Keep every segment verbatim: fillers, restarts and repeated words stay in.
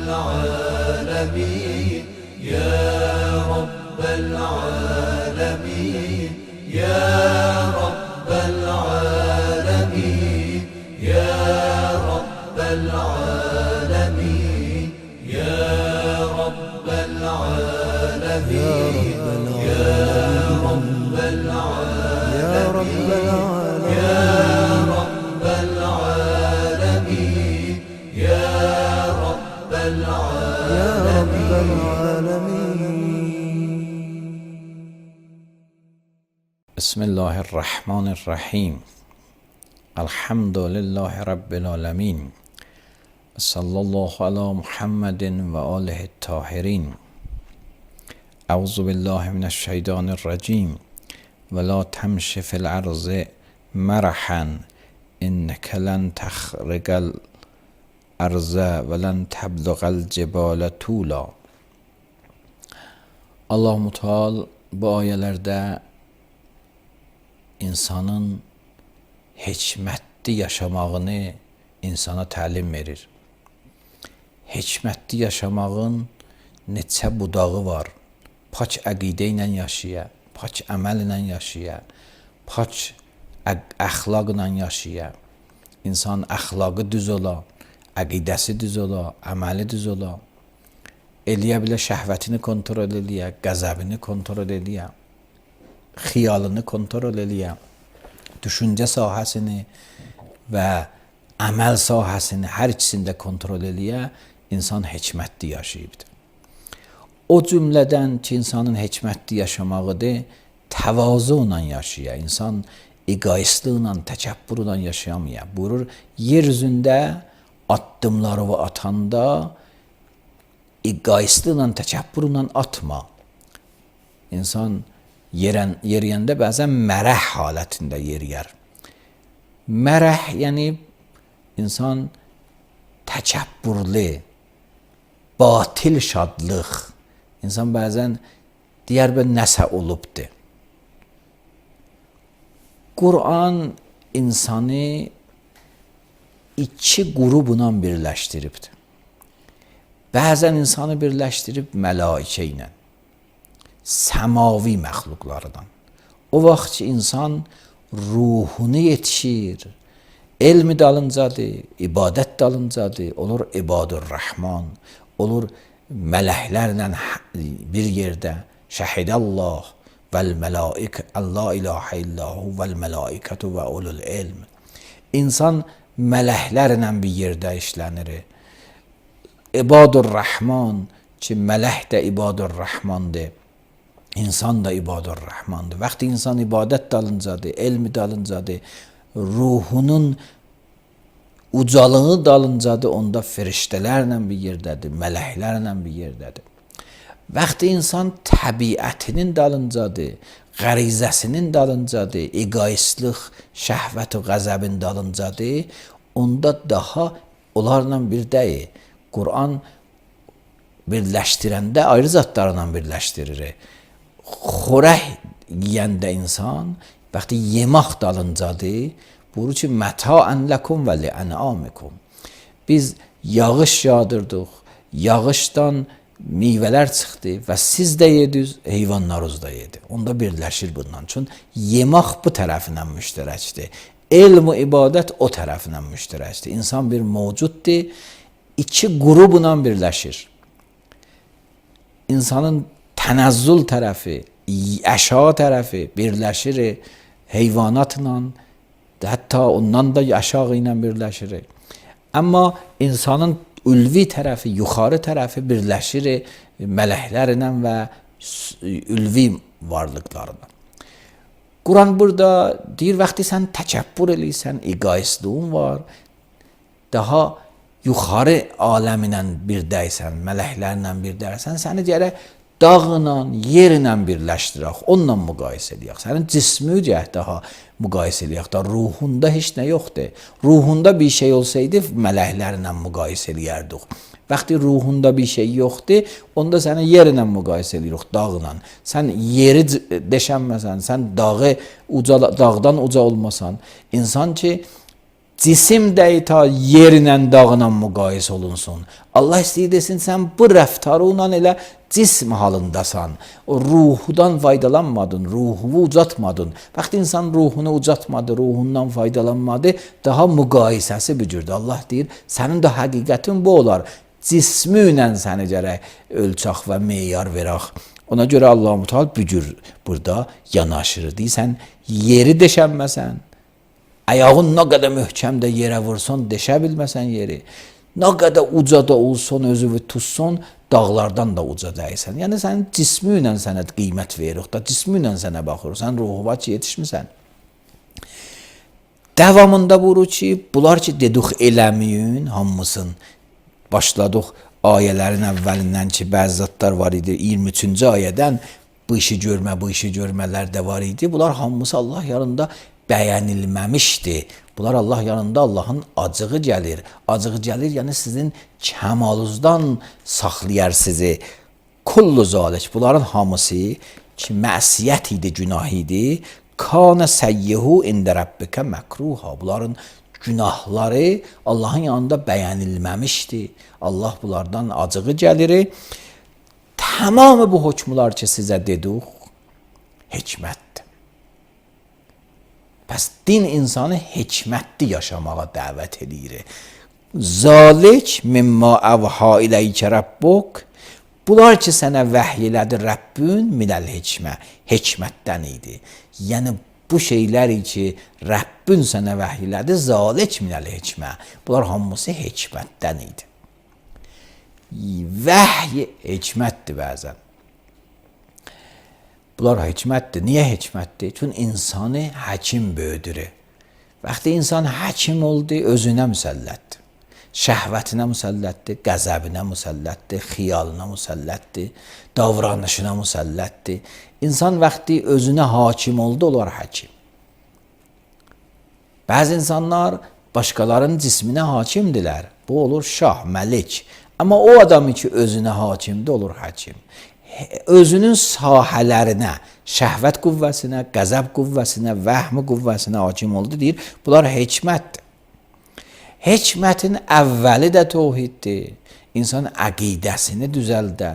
العالمين يا رب العالمين يا رب العالمين يا رب العالمين يا رب العالمين يا رب العالمين يا رب العالمين يا رب العالمين. بسم الله الرحمن الرحیم. الحمد لله رب العالمین. صلی الله علی محمد و آله الطاهرین. اعوذ بالله من الشیطان الرجیم. ولا تمش فی الارض مرحا انک لن تخرق الارض ولن تبلغ الجبال طولا. Allah Müteal bu ayələrdə insanın hikmətli yaşamağını insana təlim verir. Hikmətli yaşamağın neçə budağı var. Pak əqidə ilə yaşaya, pak əməl ilə yaşaya, pak əxlaqla yaşaya. İnsan əxlaqı düz ola, əqidəsi düz ola, əməli düz ola. Eləyə bilə şəhvətini kontrol eləyə, qəzəbini kontrol eləyə, xiyalını kontrol eləyə, düşüncə sahəsini və əməl sahəsini hər ikisində kontrol eləyə, insan hikmətli yaşayıbdır. O cümlədən ki, insanın hikmətli yaşamağıdır, təvazu ilə yaşaya, insan egoistliklə, təkəbbürlə yaşayamaya. Buyurur, yer üzündə addımları atanda egoistliklə, təkəbbürlə atma. İnsan yerən, yeriyəndə bəzən mərəh halətində yeriyər. Mərəh, yəni insan təkəbbürlü, batil şadlıq. İnsan bəzən deyər bə nəsə olubdur. Quran insanı iki qrubla birləşdiribdir. Bəzən insanı birləşdirib mələikə ilə, səmavi məxluqlardan. O vaxt ki, insan ruhunu yetişir, elmi dalıncadır, ibadət dalıncadır, olur ibadur-rəhman, olur mələklərlə bir yerdə, şəhidəllah vəl-mələik, Allah ilahə illahu vəl-mələikətu və ulul ilm. İnsan mələklərlə bir yerdə işlənir. İbadur-rəhman ki, mələk də ibadur-rəhmandır, insan da ibadur-rəhmandır. Vaxtı insan ibadət dalıncadır, elmi dalıncadır, ruhunun ucalığı dalıncadır, onda firiştələrlə bir yerdədir, mələklərlə bir yerdədir. Vaxtı insan təbiətinin dalıncadır, qərizəsinin dalıncadır, egoistlik, şəhvət və qəzəbin dalıncadır, onda daha onlarla bir deyil. Quran birləşdirəndə ayrı zatlarla birləşdirir. Xorək yiyəndə insan, vaxtı yemək dalıncadır, buyurur ki, məta'ən ləkum və li'ənamikum. Biz yağış yağdırdıq, yağışdan meyvələr çıxdı və siz də yediniz, heyvanlarınız da yedi. Onda birləşir bundan üçün. Yemək bu tərəfindən müştərəkdir. Elm və ibadət o tərəfindən müştərəkdir. İnsan bir mövcuddur, iki qrubla birləşir. İnsanın tənəzzül tərəfi, əşya tərəfi birləşir heyvanatla, hətta ondan da aşağı ilə birləşir. Amma insanın ülvi tərəfi, yuxarı tərəfi birləşir mələklərlə və ülvi varlıqlarla. Quran burada deyir, vaxtı sən təkəbbür eləyirsən, egoistliğin var, daha yuxarı aləminlə birdəysən, mələklərlə birdəysən, səni gərək dağla, yerlə birləşdirək, onunla müqayisə edək. Sənin cismi cəhd daha müqayisə edək. Da ruhunda heç nə yoxdur. Ruhunda bir şey olsaydı, mələklərlə müqayisə edərdik. Vaxtı ruhunda bir şey yoxdur, onda səni yerlə müqayisə edirik, dağla. Sən yeri deşənməsən, sən dağı uca, dağdan uca olmasan, insan ki, cisim də ta yerlə dağla müqayisə olunsun. Allah istəyir desin, sən bu rəftarınla elə cism halındasan. O ruhudan faydalanmadın, ruhunu ucatmadın. Vaxt insan ruhunu ucatmadı, ruhundan faydalanmadı, daha müqayisəsi bücürdü. Allah deyir, sənin də həqiqətin bu olar. Cismi ilə səni gərək ölçək və meyar verək. Ona görə Allah-u Teala bücür burada yanaşır. Deyirsən, yeri deşənməsən, ayağın nə qədər möhkəmdə yerə vursun, deşə bilməsən yeri. Nə qədər ucada olsun, özünü tutsun, dağlardan da uca dəysən. Yəni sənin cismi ilə sənə qiymət veririk da, cismi ilə sənə baxırıq. Sən ruhuva ki, yetişmirsən. Davamında buyurur ki, bunlar ki, dedik eləməyin hamısın. Başladıq ayələrin əvvəlindən ki, bəzi zatlar var idi. iyirmi üçüncü ayədən bu işi görmə, bu işi görmələr də var idi. Bunlar hamısı Allah yanında bəyənilməmişdi. Bunlar Allah yanında Allahın acığı gəlir. Acığı gəlir, yəni sizin kəmalınızdan saxlayar sizi. Kullu zalik. Bunların hamısı ki, məsiyyət idi, günah idi. Kana səyyihu ində rabbikə məkruha. Bunların günahları Allahın yanında bəyənilməmişdi. Allah bunlardan acığı gəlir. Tamamı bu hökmlər ki, sizə dedik, hikmətdir. Pəs din insanı hikmətli yaşamağa dəvət edir. Zalik mimma əvha iləykə rabbuk. Bunlar ki, sənə vəhy elədi Rəbbün minəl hikmə. Hikmətdən idi. Yəni, bu şeylər ki, Rəbbün sənə vəhy elədi, zalik minəl hikmə. Bunlar hamısı hikmətdən idi. Vəhy hikmətdir bəzən. Bunlar hikmətdir. Niyə hikmətdir? Çünki insanı həkim böyüdür. Vaxtı insan həkim oldu, özünə müsəllətdir. Şəhvətinə müsəllətdir, qəzəbinə müsəllətdir, xiyalına müsəllətdir, davranışına müsəllətdir. İnsan vaxtı özünə hakim oldu, onlar həkim. Bəzi insanlar başqalarının cisminə hakimdirlər. Bu olur şah, məlik. Amma o adamı ki, özünə hakimdir, olur həkim. Özünün sahələrinə, şəhvət qüvvəsinə, qəzəb qüvvəsinə, vəhmi qüvvəsinə hakim oldu, deyir. Bunlar hikmətdir. Hikmətin əvvəli də tohiddir. İnsan əqidəsini düzəldə.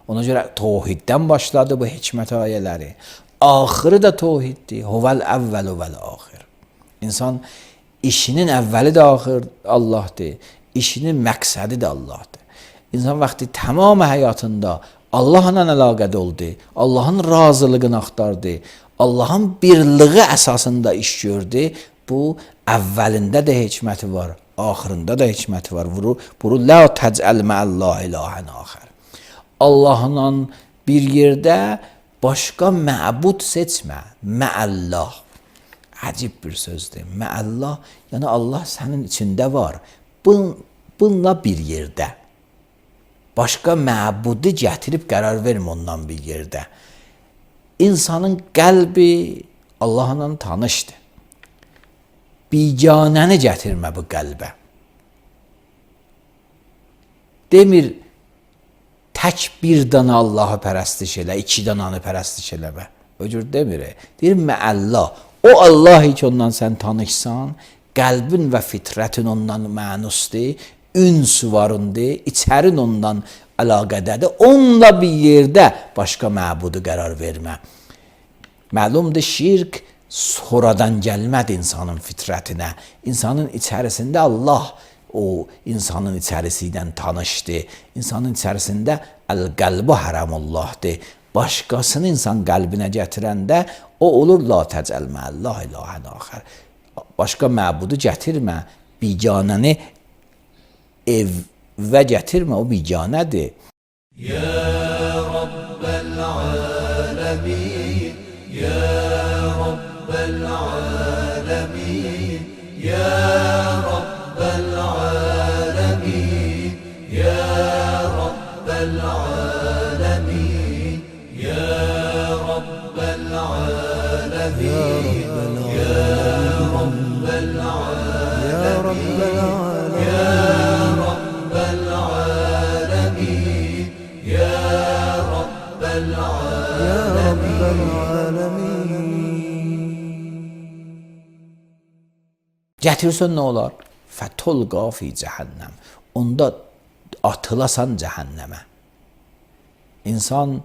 Ona görə tohiddən başladı bu hikmət ayələri. Axırı da tohiddir. Huvəl əvvəl vəl axir. İnsan işinin əvvəli də axır Allahdır. İşinin məqsədi də Allahdır. İnsan vaxtı tamamı həyatında Allahla əlaqədə oldu. Allahın razılığını axtardı. Allahın birliği əsasında iş gördü. Bu əvvəlində də hikməti var. Axırında da hikməti var. Vuru, vuru la təcəl mə'əllah ilahən axər. Allahla bir yerdə başqa məbud seçmə. Mə'əllah. Əcib bir sözdür. Mə'əllah, yəni Allah sənin içində var. Bun, bununla bir yerdə. Başqa məbudu gətirib qərar vermə ondan bir yerdə. İnsanın qəlbi Allahla tanışdır. Biganəni gətirmə bu qəlbə. Demir, tək bir dana Allahı pərəstiş elə, iki dananı pərəstiş eləmə. O cür demir. Deyir, məəllah. O Allah ki, ondan sən tanışsan, qəlbin və fitrətin ondan mənusdur, üns varındır, içərin ondan əlaqədədir. Onunla bir yerdə başqa məbudu qərar vermə. Məlumdur, şirk sonradan gəlmədi insanın fitrətinə. İnsanın içərisində Allah o insanın içərisindən tanışdı. İnsanın içərisində əl-qəlbu hərəmullahdır. Başqasını insan qəlbinə gətirəndə o olur la təcəl məəllah ilahən axər. Başqa məbudu gətirmə, biganəni evə gətirmə, o biganədir. Ya Rabbel alemin, Ya Rabbel alemin, Ya Rabbel alemin, Ya Rabbel alemin, Ya Rabbel alemin, Ya Rabbel alemin, Ya Rabbel alemin, Ya Rabbel alemin. Gətirsən nə olar? Fətulqa fi cəhənnəm. Onda atılasan cəhənnəmə. İnsan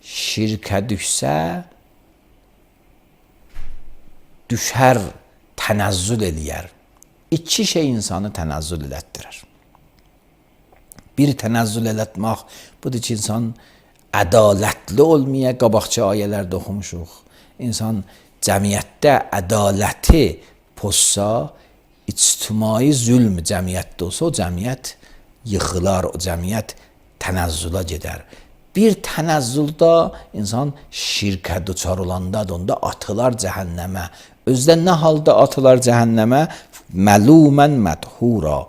şirkə düşsə, düşər, tənəzzül eləyər. İki şey insanı tənəzzül elətdirir. Bir tənəzzül elətmək, budur ki, insan ədalətli olmaya, qabaqçı ayələrdə oxumuşuq. İnsan cəmiyyətdə ədaləti pozsa, ictimai zülm cəmiyyətdə olsa, o cəmiyyət yıxılar, o cəmiyyət tənəzzülə gedər. Bir tənəzzüldə insan şirkə düçar olanda, onda atılar cəhənnəmə. Özdə nə halda atılar cəhənnəmə? Məlumən mədhura.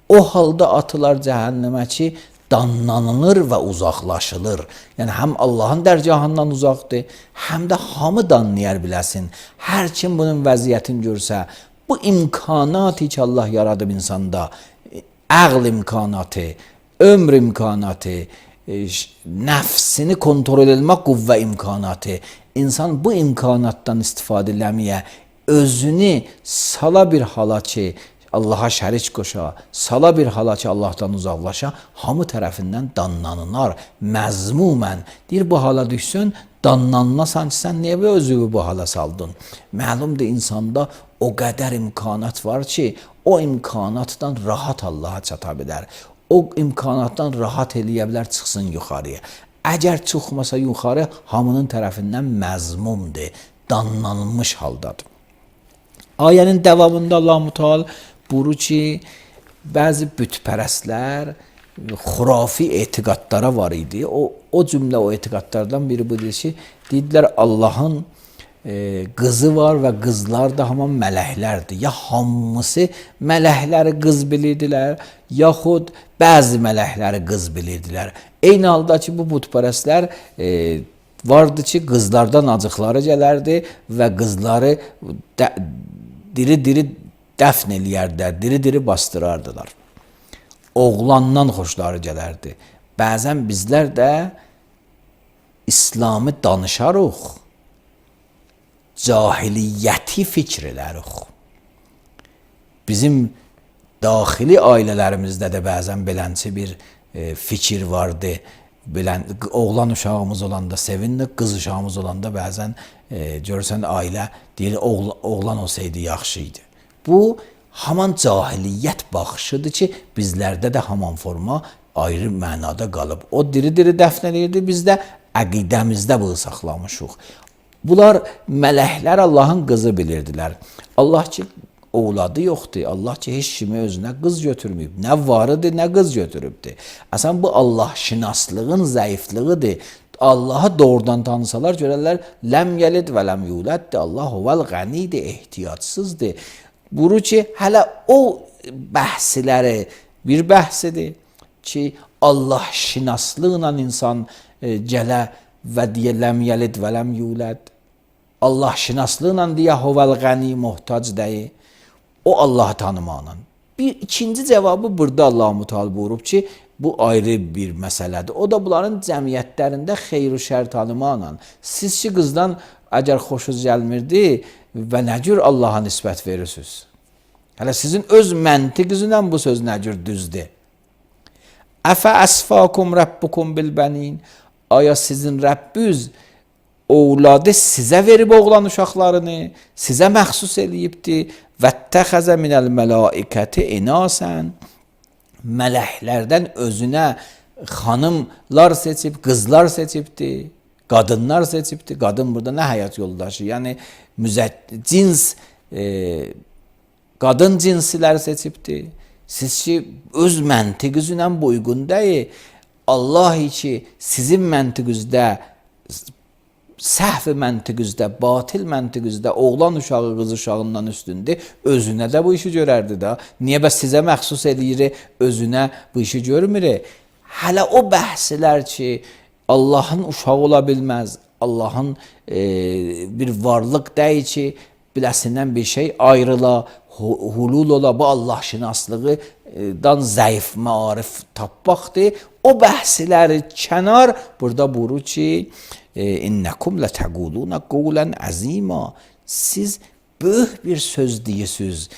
O halda atılar cəhənnəmə ki, danlanılır və uzaqlaşılır. Yəni, həm Allahın dərgahından uzaqdır, həm də hamı danlayar biləsin. Hər kim bunun vəziyyətini görsə, bu imkanatı ki, Allah yaradıb insanda, əql imkanatı, ömr imkanatı, nəfsini kontrol etmək qüvvə imkanatı, insan bu imkanatdan istifadə eləməyə, özünü sala bir hala ki, Allaha şərik qoşa, sala bir hala ki, Allahdan uzaqlaşa, hamı tərəfindən danlanılar, məzmumən. Deyir, bu hala düşsün, danlanılasan ki, sən niyə və özünü bu hala saldın? Məlumdur, insanda o qədər imkanat var ki, o imkanatdan rahat Allaha çata bilər. O imkanatdan rahat eləyə bilər, çıxsın yuxarıya. Əgər çıxmasa yuxarı, hamının tərəfindən məzmumdur, danlanılmış haldadır. Ayənin davamında Allah-u Teala buyurur ki, bəzi bütpərəstlər xurafi etiqadlara var idi. O, o cümlə o etiqadlardan biri budur ki, deyirlər Allahın e, qızı var və qızlar da hamam mələklərdir. Ya hamısı mələkləri qız bilirdilər, yaxud bəzi mələkləri qız bilirdilər. Eyni halda ki, bu bütpərəstlər e, vardı ki, qızlardan acıqları gələrdi və qızları də, diri-diri dəfn eləyərdilər, diri-diri bastırardılar. Oğlandan xoşları gələrdi. Bəzən bizlər də İslamı danışarıq, cahiliyyəti fikr edərik. Bizim daxili ailələrimizdə də bəzən belənçi bir e, fikir vardı. Bilən, oğlan uşağımız olanda sevindik, qız uşağımız olanda bəzən e, görürsən ailə deyir, oğlan, oğlan olsaydı yaxşı idi. Bu, haman cahiliyyət baxışıdır ki, bizlərdə də haman forma ayrı mənada qalıb. O diri-diri dəfn edirdi, biz də əqidəmizdə bunu saxlamışıq. Bunlar mələklər Allahın qızı bilirdilər. Allah ki, oğladı yoxdur. Allah ki, heç kimi özünə qız götürməyib. Nə varıdır, nə qız götürübdür. Əsən bu Allah şinaslığın zəifliğidir. Allahı doğrudan tanısalar görərlər, ləm yəlid və ləm yuləddir. Allah huvel qənidir, ehtiyacsızdır. Buyurur ki, hələ o bəhsləri bir bəhsidir ki, Allah şinaslıqla insan e, gələ və deyə ləm yəlid və ləm yuləd. Allah şinaslıqla deyə huvel qəni muhtac deyil. O Allahı tanımaqla. Bir ikinci cavabı burada Allah-u Teala buyurub ki, bu ayrı bir məsələdir. O da bunların cəmiyyətlərində xeyr-i şər tanımaqla. Siz ki, qızdan əgər xoşunuz gəlmirdi və nə cür Allaha nisbət verirsiniz? Hələ sizin öz məntiqinizlə bu söz nə cür düzdür? Əfə əsfakum rəbbukum bilbənin. Aya sizin Rəbbiniz oğladı sizə verib oğlan uşaqlarını, sizə məxsus eləyibdir. Vəttəxəzə minəl mələikəti inasən. Mələklərdən özünə xanımlar seçib, qızlar seçibdir, qadınlar seçibdir. Qadın burada nə həyat yoldaşı? Yəni, cins, e, qadın cinsilər seçibdir. Siz ki, öz məntiqinizlə bu uyğun deyil. Allah ki, sizin məntiqinizdə, səhv məntiqinizdə, batil məntiqinizdə oğlan uşağı qız uşağından üstündür, özünə də bu işi görərdi da. Niyə bəs sizə məxsus edir, özünə bu işi görmür? Hələ o bəhslər ki, Allahın uşağı ola bilməz, Allahın e, bir varlıq deyil ki, biləsindən bir şey ayrıla, hulul ola, bu Allah şinaslığıdan zəif maarif tapmaqdır. O bəhsləri kənar burada buyurur ki, İnnəkum lətəquluna qulən əzima. Siz böyük bir söz deyirsiniz.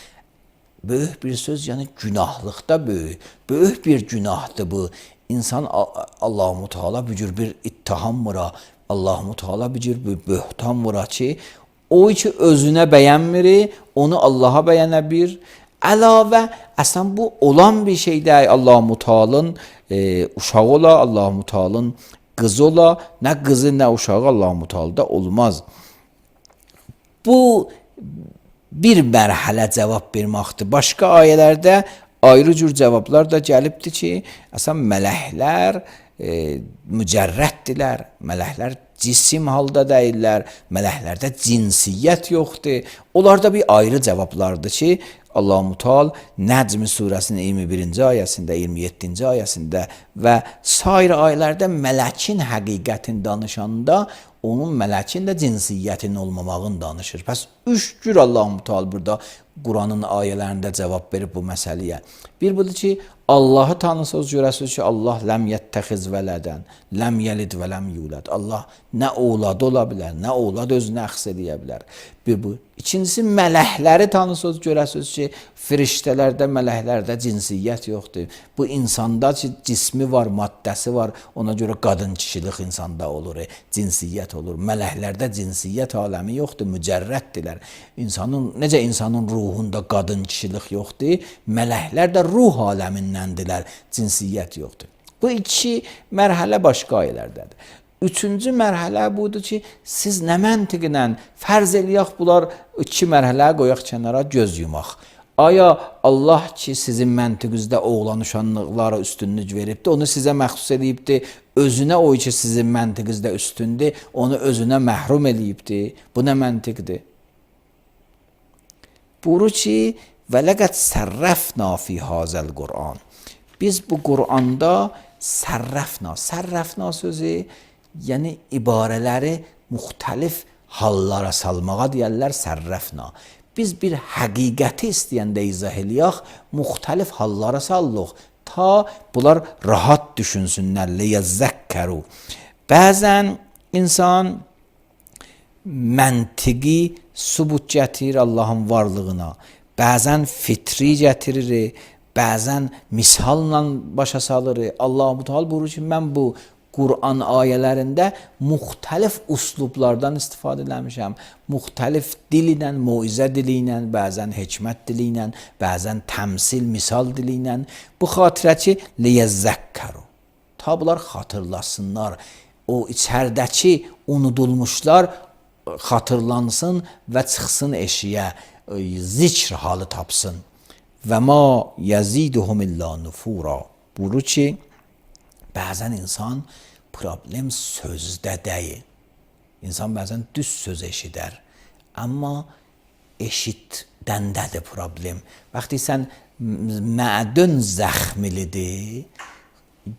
Böyük bir söz, yəni günahlıqda böyük. Böyük bir günahdır bu. İnsan Allah-u Teala bu cür bir ittiham vura, Allah-u Teala bu cür bir böhtan vura ki, o ki özünə bəyənmir, onu Allaha bəyənə bir. Əlavə, əslən bu olan bir şeydir. Allah-u Teala'nın e, uşağı ola, Allah-u Teala'nın qızı ola, nə qızı nə uşağı Allah-u Teala'da olmaz. Bu bir mərhələ cavab verməkdir. Başqa ayələrdə ayrı cür cavablar da gəlibdir ki, əslən mələklər e, mücərrətdirlər. Mələklər cisim halda deyirlər. Mələklərdə cinsiyyət yoxdur. Onlarda bir ayrı cavablardır ki, Allah-u Teala Nəcm surəsinin iyirmi birinci ayəsində, iyirmi yeddinci ayəsində və sair ayələrdə mələkin həqiqətini danışanda onun mələkin də cinsiyyətinin olmamağını danışır. Pəs üç cür Allah-u Teala burada Quranın ayələrində cavab verib bu məsələyə. Bir budur ki, Allahı tanısınız, görəsiniz ki, Allah ləm yəttəxiz vələdən, ləm yəlid və ləm yulad. Allah nə oğladı ola bilər, nə oğlad özünə əxs edə bilər. Bir bu. İkincisi, mələkləri tanısınız, görəsiniz ki, firiştələrdə, mələklərdə cinsiyyət yoxdur. Bu insanda ki, cismi var, maddəsi var, ona görə qadın kişilik insanda olur, e, cinsiyyət olur. Mələklərdə cinsiyyət aləmi yoxdur, mücərrətdirlər. İnsanın, necə insanın ruhunda qadın kişilik yoxdur, mələklər də ruh aləmindəndirlər, cinsiyyət yoxdur. Bu iki mərhələ başqa ayələrdədir. Üçüncü mərhələ budur ki, siz nə məntiqlə fərz eləyək, bunlar iki mərhələ qoyaq kənara, göz yumaq. Aya Allah ki, sizin məntiqinizdə oğlan uşaqlara üstünlük veribdir, onu sizə məxsus edibdir, özünə o ki, sizin məntiqinizdə üstündür, onu özünə məhrum edibdir. Bu nə məntiqdir? Buyurur ki, və ləqəd sərrəfna fi hazəl Qur'an. Biz bu Qur'anda sərrəfna, sərrəfna sözü, yəni ibarələri müxtəlif hallara salmağa deyərlər sərrəfna. Biz bir həqiqəti istəyəndə izah eləyək, müxtəlif hallara sallıq, ta bunlar rahat düşünsünlər, liyəzzəkkəru. Bəzən insan məntiqi sübut gətirir Allahın varlığına, bəzən fitri gətirir, bəzən misalla başa salır. Allah-u Teala buyurur ki, mən bu Quran ayələrində müxtəlif üslublardan istifadə eləmişəm. Müxtəlif dil ilə, moizə dili ilə, bəzən hikmət dili ilə, bəzən təmsil, misal dili ilə. Bu xatirə ki, liyəzzəkkəru. Ta bunlar xatırlasınlar. O içərdəki unudulmuşlar xatırlansın və çıxsın eşiyə, zikr halı tapsın. Və ma yəziduhum illa nufura. Buyurur ki, bəzən insan problem sözdə deyil. İnsan bəzən düz söz eşidər. Amma eşitdəndədir problem. Vaxtı sən mədün zəxmilidir,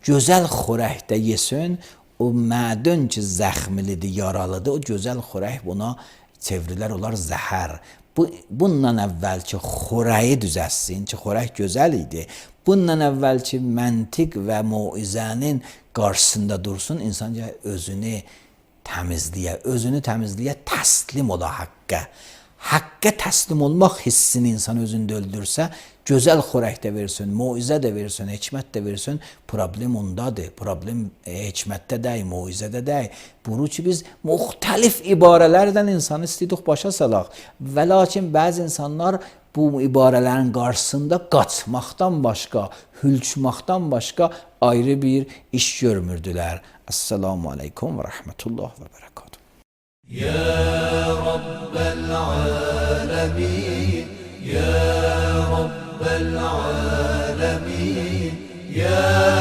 gözəl xörəkdə yesin, o mədün ki zəxmilidir, yaralıdır, o gözəl xörək buna çevrilər olar zəhər. Bu, bundan əvvəl ki, xörəyi düzəssin, ki, xörək gözəl idi. Bundan əvvəl ki, məntiq və muizənin qarşısında dursun, insan özünü təmizliyə, özünü təmizliyə təslim ola haqqə. Haqqə təslim olmaq hissini insan özündə öldürsə, gözəl xörək də versin, muizə də versin, hikmət də versin, problem ondadır. Problem e, hikmətdə deyil, muizədə deyil. Bunu ki, biz müxtəlif ibarələrdən insanı istəyirik başa salaq. Və lakin bəzi insanlar bu ibarələrin qarşısında qaçmaqdan başqa, hülçmaqdan başqa ayrı bir iş görmürdülər. Esselamu aleykum və rəhmətullah və bərəkatuhu. Ya Rabbel alemin, Ya Rabbel alemin, Ya